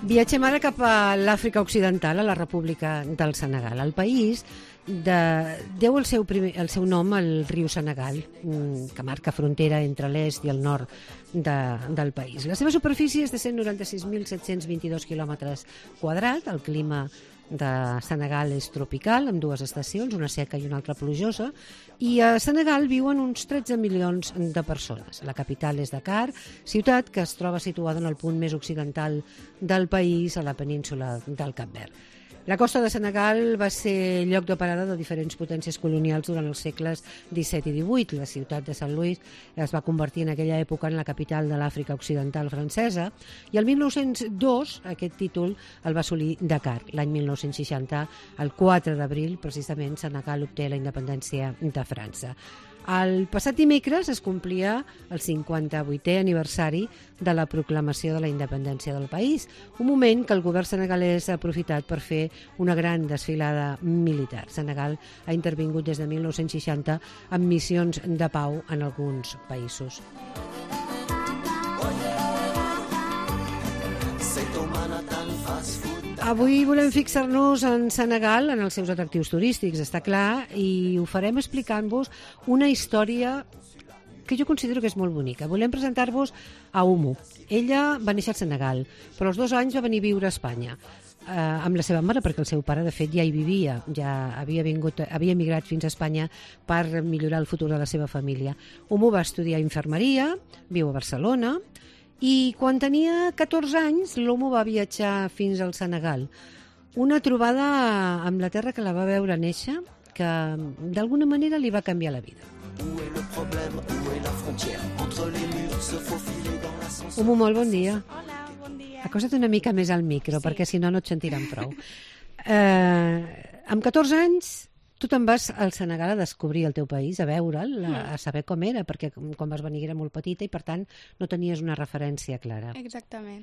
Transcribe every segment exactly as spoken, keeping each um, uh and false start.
Viatgem ara cap a l'Àfrica Occidental, a la República del Senegal. El país de... deu el seu, primer... el seu nom al riu Senegal, que marca frontera entre l'est i el nord de... del país. La seva superfície és de cent noranta-sis mil set-cents vint-i-dos quilòmetres quadrats. El clima de Senegal és tropical, amb dues estacions, una seca i una altra plujosa, i a Senegal viuen uns tretze milions de persones. La capital és Dakar, ciutat que es troba situada en el punt més occidental del país, a la península del Cap Verd. La costa de Senegal va ser lloc de parada de diferents potències colonials durant els segles disset i divuit. La ciutat de Sant Louis es va convertir en aquella època en la capital de l'Àfrica Occidental francesa i el mil nou-cents dos aquest títol el va assolir Dakar. L'any mil nou-cents seixanta, el quatre d'abril, precisament, Senegal obté la independència de França. El passat dimecres es complia el cinquanta-vuitè aniversari de la proclamació de la independència del país, un moment que el govern senegalès ha aprofitat per fer una gran desfilada militar. Senegal ha intervingut des de mil nou-cents seixanta amb missions de pau en alguns països. Avui volem fixar-nos en Senegal, en els seus atractius turístics, està clar, i ho farem explicant-vos una història que jo considero que és molt bonica. Volem presentar-vos a Oumou. Ella va néixer al Senegal, però als dos anys va venir a viure a Espanya, eh, amb la seva mare, perquè el seu pare, de fet, ja hi vivia, ja havia, vingut, havia emigrat fins a Espanya per millorar el futur de la seva família. Oumou va estudiar infermeria, viu a Barcelona, i quan tenia catorze anys, l'Oumou va viatjar fins al Senegal. Una trobada amb la terra que la va veure néixer, que d'alguna manera li va canviar la vida. Oumou, molt bon dia. Hola, bon dia. Acosta't una mica més al micro, Sí. perquè si no no et sentiran prou. Eh, amb catorze anys, tu te'n vas al Senegal a descobrir el teu país, a veure'l, a, a saber com era, perquè quan vas venir era molt petita i, per tant, no tenies una referència clara. Exactament.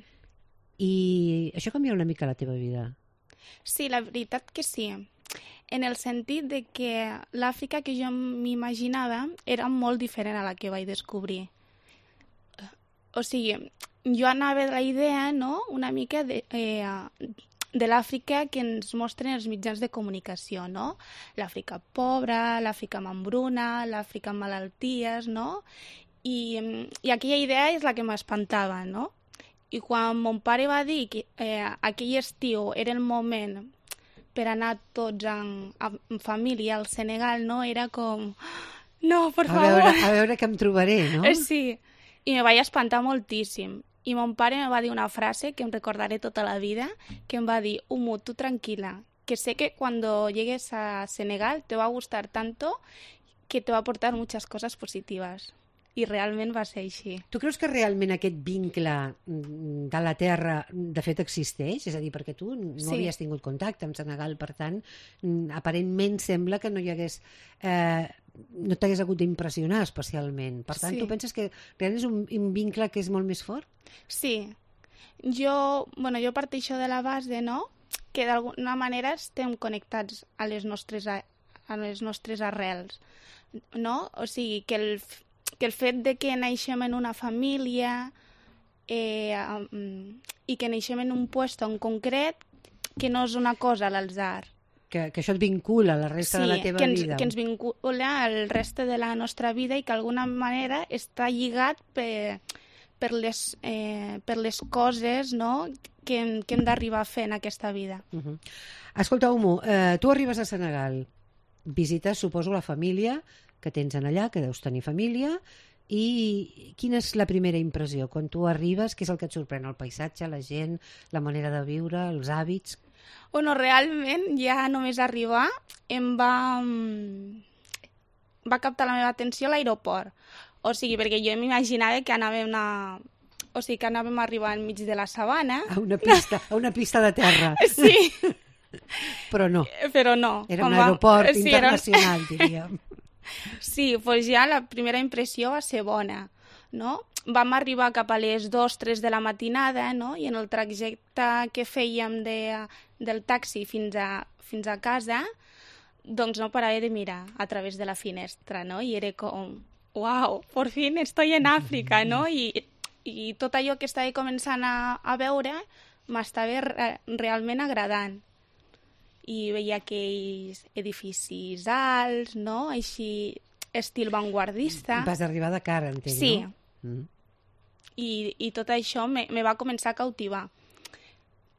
I això canvia una mica la teva vida. Sí, la veritat que sí. En el sentit de que l'Àfrica que jo m'imaginava era molt diferent a la que vaig descobrir. O sigui, jo anava de la idea, no?, una mica de... Eh, de l'Àfrica que ens mostren els mitjans de comunicació, no? L'Àfrica pobra, l'Àfrica amb hambruna, l'Àfrica amb malalties, no? I, i aquella idea és la que m'espantava, no? I quan mon pare va dir que eh, aquell estiu era el moment per anar tots en, en família al Senegal, no? Era com... No, per A favor! veure, a veure què em trobaré, no? Sí, i me vaig espantar moltíssim. I mon pare me va dir una frase que em recordaré tota la vida, que em va dir, Oumou, tu tranquila, que sé que cuando llegues a Senegal te va a gustar tanto que te va a aportar muchas cosas positivas. I realment va ser així. Tu creus que realment aquest vincle de la terra de fet existeix? És a dir, perquè tu no Sí. havies tingut contacte amb Senegal, per tant, aparentment sembla que no hi hagués... Eh, no t'hagués hagut d'impressionar especialment. Per tant, Sí. tu penses que realment és un, un vincle que és molt més fort? Sí. Jo, bueno, jo parteixo de la base, no?, que d'alguna manera estem connectats a les nostres, a, a les nostres arrels, no? O sigui, que el, que el fet de que naixem en una família eh, i que naixem en un lloc en concret, que no és una cosa a l'atzar. Que, que això et vincula a la resta Sí, de la teva que ens, vida? que ens vincula al reste de la nostra vida i que d'alguna manera està lligat per, per, les, eh, per les coses, no?, que hem, que hem d'arribar a fer en aquesta vida. Uh -huh. Escolta, Oumou, eh, tu arribes a Senegal, visites, suposo, la família que tens en allà, que deus tenir família, i quina és la primera impressió? Quan tu arribes, què és el que et sorprèn? El paisatge, la gent, la manera de viure, els hàbits? Bueno, realment, ja només arribar em va, va captar la meva atenció a l'aeroport. O sigui, perquè jo m'imaginava que anàvem a... O sigui, que anàvem a arribar enmig de la sabana. A una pista, a una pista de terra. Sí. Però no. Però no. Era un Quan va- aeroport sí, era- internacional, diríem. Sí, doncs ja la primera impressió va ser bona, no? Vam arribar cap a les dues tres de la matinada, no?, i en el trajecte que fèiem de, del taxi fins a, fins a casa, doncs no parava de mirar a través de la finestra, no? I era com, uau, por fin estoy en Àfrica, no? I, i tot allò que estava començant a, a veure m'estava re realment agradant. I veia aquells edificis alts, no? Així, estil vanguardista. Vas arribar a Dakar, entenc, sí. no? Mm. I, I tot això me, me va començar a cautivar.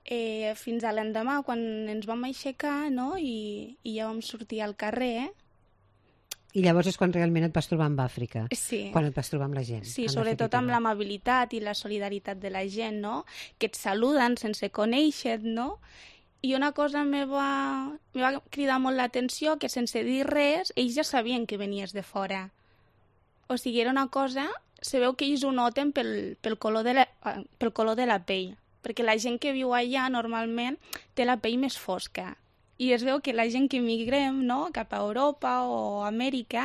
Eh, fins a l'endemà, quan ens vam aixecar, no? I, i ja vam sortir al carrer. I llavors és quan realment et vas trobar amb Àfrica. Sí. Quan et vas trobar amb la gent. Sí, sobretot amb l'amabilitat i la solidaritat de la gent, no? Que et saluden sense conèixer-te, no? I una cosa me va, me va cridar molt l'atenció, que sense dir res, ells ja sabien que venies de fora. O sigui, era una cosa... Se veu que ells ho noten pel, pel, color de la, pel color de la pell, perquè la gent que viu allà normalment té la pell més fosca. I es veu que la gent que migrem, no?, cap a Europa o Amèrica,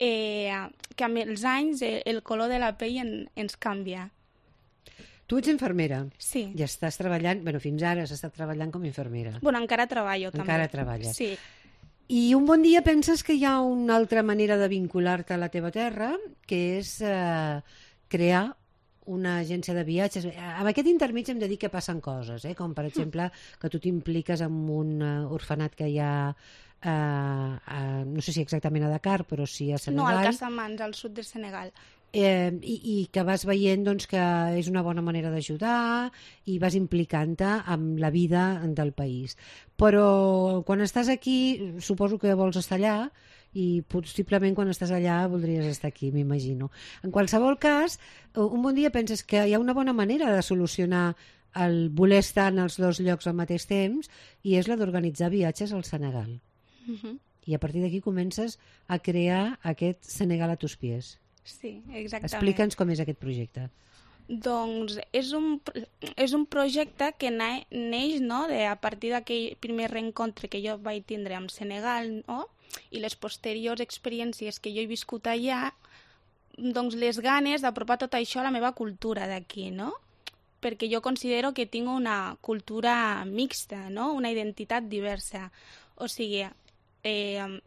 eh, que amb els anys el, el color de la pell en, ens canvia. Tu ets infermera. Sí. I estàs treballant, bueno, fins ara has estat treballant com a infermera. Bueno, encara treballo, també. Encara treballes. Sí. I un bon dia penses que hi ha una altra manera de vincular-te a la teva terra, que és eh, crear una agència de viatges. Amb aquest intermig hem de dir que passen coses, eh? Com per exemple que tu t'impliques en un uh, orfenat que hi ha, uh, uh, no sé si exactament a Dakar, però sí a Senegal. No, al Casamance, al sud de Senegal. Eh, i, i que vas veient doncs, que és una bona manera d'ajudar i vas implicant-te amb la vida del país. Però quan estàs aquí, suposo que vols estar allà i possiblement quan estàs allà voldries estar aquí, m'imagino. En qualsevol cas, un bon dia penses que hi ha una bona manera de solucionar el voler estar en els dos llocs al mateix temps i és la d'organitzar viatges al Senegal. Uh-huh. I a partir d'aquí comences a crear aquest Senegal a tus pies. Sí, exactament. Explica'ns com és aquest projecte. Doncs és un, és un projecte que na, neix, no?, de, a partir d'aquell primer reencontre que jo vaig tindre amb Senegal, no?, i les posteriors experiències que jo he viscut allà, doncs les ganes d'apropar tot això a la meva cultura d'aquí, no? Perquè jo considero que tinc una cultura mixta, no?, una identitat diversa. O sigui, eh,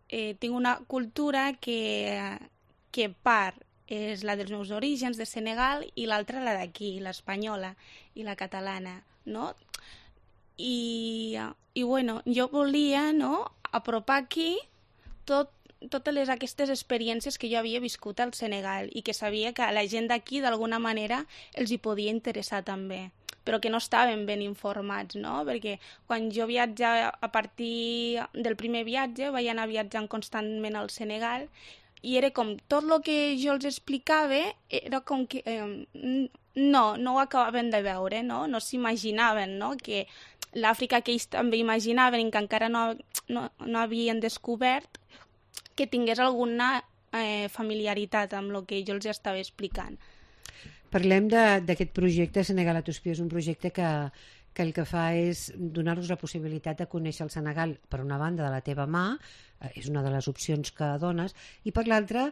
eh, tinc una cultura que... que part és la dels meus orígens de Senegal i l'altra la d'aquí, l'espanyola i la catalana, no? I, i bueno, jo volia, no?, apropar aquí tot, totes les, aquestes experiències que jo havia viscut al Senegal i que sabia que a la gent d'aquí d'alguna manera els hi podia interessar també, però que no estaven ben informats, no? Perquè quan jo viatjava, a partir del primer viatge, vaig anar viatjant constantment al Senegal i era com tot el que jo els explicava era com que eh, no, no ho acabaven de veure, no, no s'imaginaven, no? Que l'Àfrica que ells també imaginaven i que encara no, no, no havien descobert, que tingués alguna eh, familiaritat amb el que jo els estava explicant. Parlem d'aquest projecte Senegal a tus pies, un projecte que, que el que fa és donar-nos la possibilitat de conèixer el Senegal, per una banda, de la teva mà, eh, és una de les opcions que dones, i per l'altra,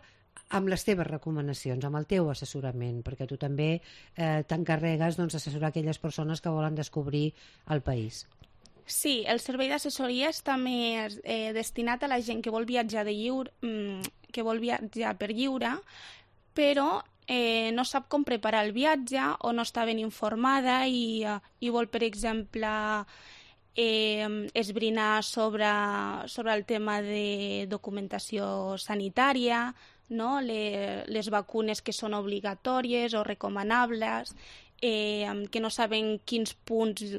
amb les teves recomanacions, amb el teu assessorament, perquè tu també eh, t'encarregues doncs, d'assessorar aquelles persones que volen descobrir el país. Sí, el servei d'assessoria està més eh, destinat a la gent que vol viatjar de lliure, que vol viatjar per lliure, però eh, no sap com preparar el viatge o no està ben informada i, eh, i vol, per exemple, eh, esbrinar sobre, sobre el tema de documentació sanitària, no? Le, les vacunes que són obligatòries o recomanables, eh, que no saben quins punts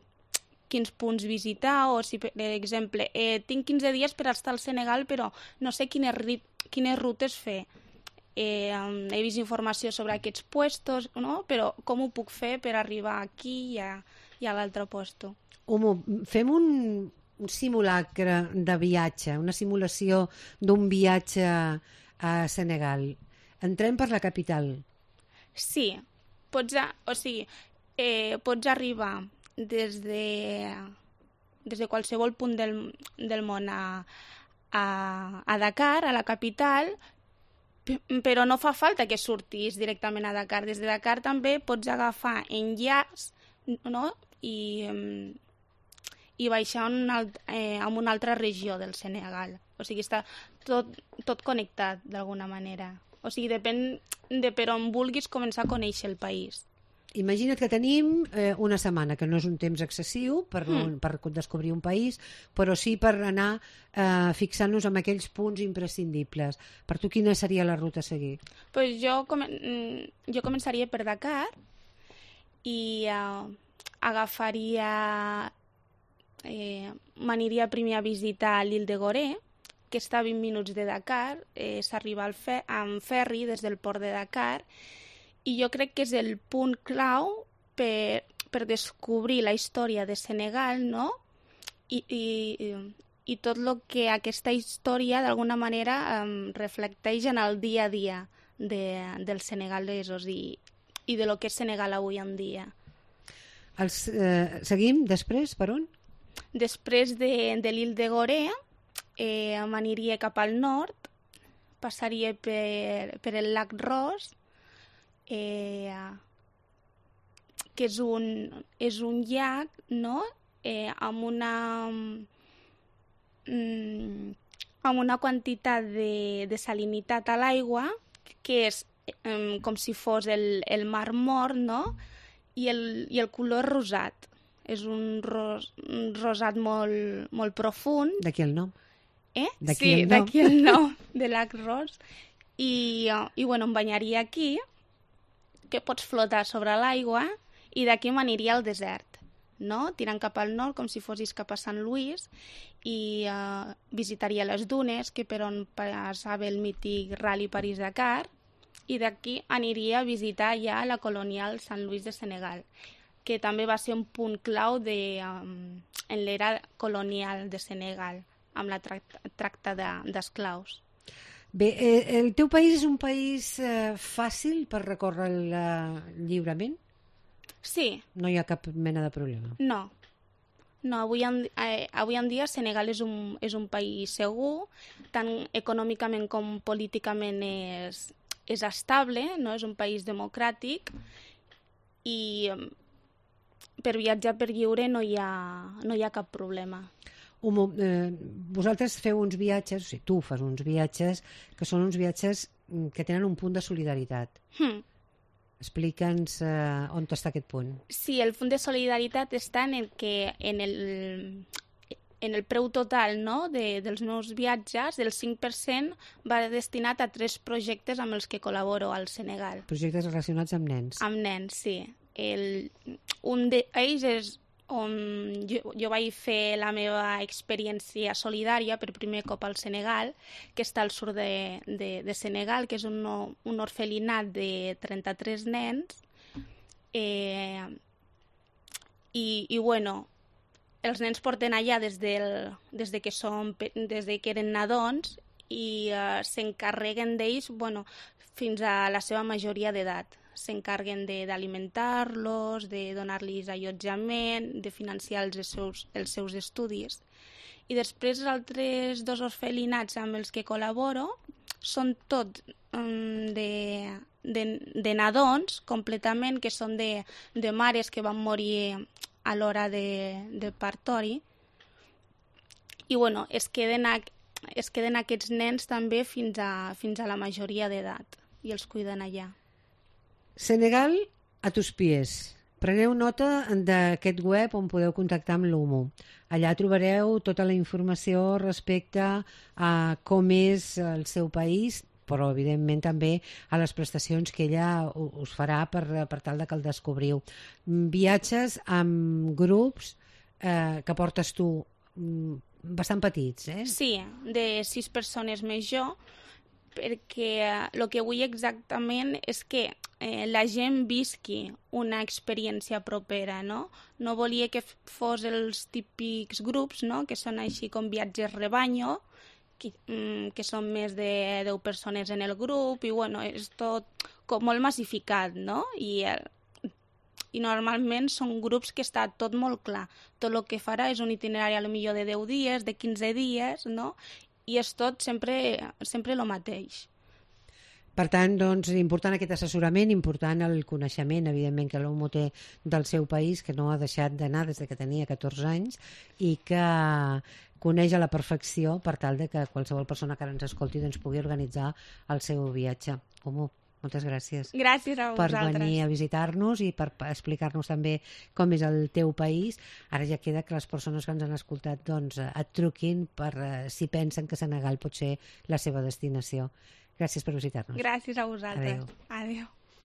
quins punts visitar, o si, per exemple, eh, tinc quinze dies per estar al Senegal, però no sé quines, quines rutes fer. Eh, he vist informació sobre aquests puestos, no? Però com ho puc fer per arribar aquí i a, i a l'altre puesto? Homo, fem un, un simulacre de viatge, una simulació d'un viatge a Senegal. Entrem per la capital. Sí, pots, o sigui, eh, pots arribar des de, des de qualsevol punt del, del món a, a, a Dakar, a la capital, però no fa falta que surtis directament a Dakar. Des de Dakar també pots agafar enllaç, no? I, i baixar un alt, eh, a una altra regió del Senegal. O sigui, està tot, tot connectat d'alguna manera. O sigui, depèn de per on vulguis començar a conèixer el país. imagina't que tenim eh, una setmana, que no és un temps excessiu per, mm. per descobrir un país, però sí per anar eh, fixant-nos en aquells punts imprescindibles. Per tu, quina seria la ruta a seguir? Pues jo, com, jo començaria per Dakar i uh, agafaria... Eh, m'aniria primer a visitar l'Île de Gorée, que està a vint minuts de Dakar, eh, s'arriba fe amb ferri des del port de Dakar, i jo crec que és el punt clau per, per descobrir la història de Senegal, no? I, i, i tot el que aquesta història d'alguna manera um, reflecteix en el dia a dia de, dels senegalesos i, i de lo que és Senegal avui en dia. Els, eh, seguim després, per on? Després de, de l'Île de Gorée, eh, m'aniria cap al nord, passaria per, per el lac Ross, eh, que és un, és un llac, no?, eh, amb una mm, amb una quantitat de, de salinitat a l'aigua, que és eh, com si fos el, el mar mort, no?, i el, i el color rosat. És un, ros, un rosat molt, molt profund. D'aquí el nom. Eh? D'aquí sí, el nom. D'aquí el nom de lac Ross. I, i bueno, em banyaria aquí, que pots flotar sobre l'aigua, i d'aquí m'aniria al desert, no? Tirant cap al nord, com si fossis cap a Sant Louis, i uh, visitaria les dunes, que per on passava el mític Rally París-Dakar, i d'aquí aniria a visitar ja la colonial Sant Louis de Senegal, que també va ser un punt clau de, um, en l'era colonial de Senegal, amb la tracta, tracta d'esclaus. Bé, eh, el teu país és un país eh, fàcil per recórrer-lo lliurement? Sí. No hi ha cap mena de problema? No. No, avui en, eh, avui en dia Senegal és un, és un país segur, tant econòmicament com políticament és, és estable, no? És un país democràtic i per viatjar per lliure no hi ha, no hi ha cap problema. Un, eh, vosaltres feu uns viatges, o sigui, tu fas uns viatges que són uns viatges que tenen un punt de solidaritat. Hmm. Explica'ns eh, on està aquest punt. Sí, el punt de solidaritat està en el que en el, en el preu total, no?, de, dels meus viatges, del cinc per cent va destinat a tres projectes amb els que col·laboro al Senegal. Projectes relacionats amb nens. Amb nens, sí. El, un d'ells és on jo, jo vaig fer la meva experiència solidària per primer cop al Senegal, que està al sud de, de, de Senegal, que és un, un orfelinat de trenta-tres nens. Eh, i, I, bueno, els nens porten allà des, del, des, de, que són, des de que eren nadons i eh, s'encarreguen d'ells, bueno, fins a la seva majoria d'edat. S'encarreguen d'alimentar-los, de donar-los allotjament, de financiar els seus, els seus estudis. I després els altres dos orfelinats amb els que col·laboro són tots um, de, de, de nadons completament, que són de, de mares que van morir a l'hora de, de partori. I bueno, es queden, a, es queden aquests nens també fins a, fins a la majoria d'edat i els cuiden allà. Senegal a tus pies. Preneu nota d'aquest web on podeu contactar amb l'U M U. Allà trobareu tota la informació respecte a com és el seu país, però evidentment també a les prestacions que ella us farà per, per tal de que el descobriu. Viatges amb grups eh, que portes tu bastant petits, eh? Sí, de sis persones més jo, perquè el que vull exactament és que eh, la gent visqui una experiència propera, no? No volia que fos els típics grups, no?, que són així com viatges rebanyo, que, mm, que són més de deu persones en el grup, i bueno, és tot com molt massificat, no? I, eh, i normalment són grups que està tot molt clar. Tot el que farà és un itinerari a lo millor de deu dies, de quinze dies, no? I és tot sempre, sempre el mateix. Per tant, doncs, important aquest assessorament, important el coneixement, evidentment, que l'U M U té del seu país, que no ha deixat d'anar des de que tenia catorze anys i que coneix a la perfecció per tal de que qualsevol persona que ara ens escolti doncs, pugui organitzar el seu viatge. U M U, Moltes gràcies. Gràcies a per vosaltres. venir a visitar-nos i per explicar-nos també com és el teu país. Ara ja queda que les persones que ens han escoltat doncs, et truquin per uh, si pensen que Senegal pot ser la seva destinació. Gràcies per visitar-nos. Gràcies a vosaltres. Adéu. Adéu.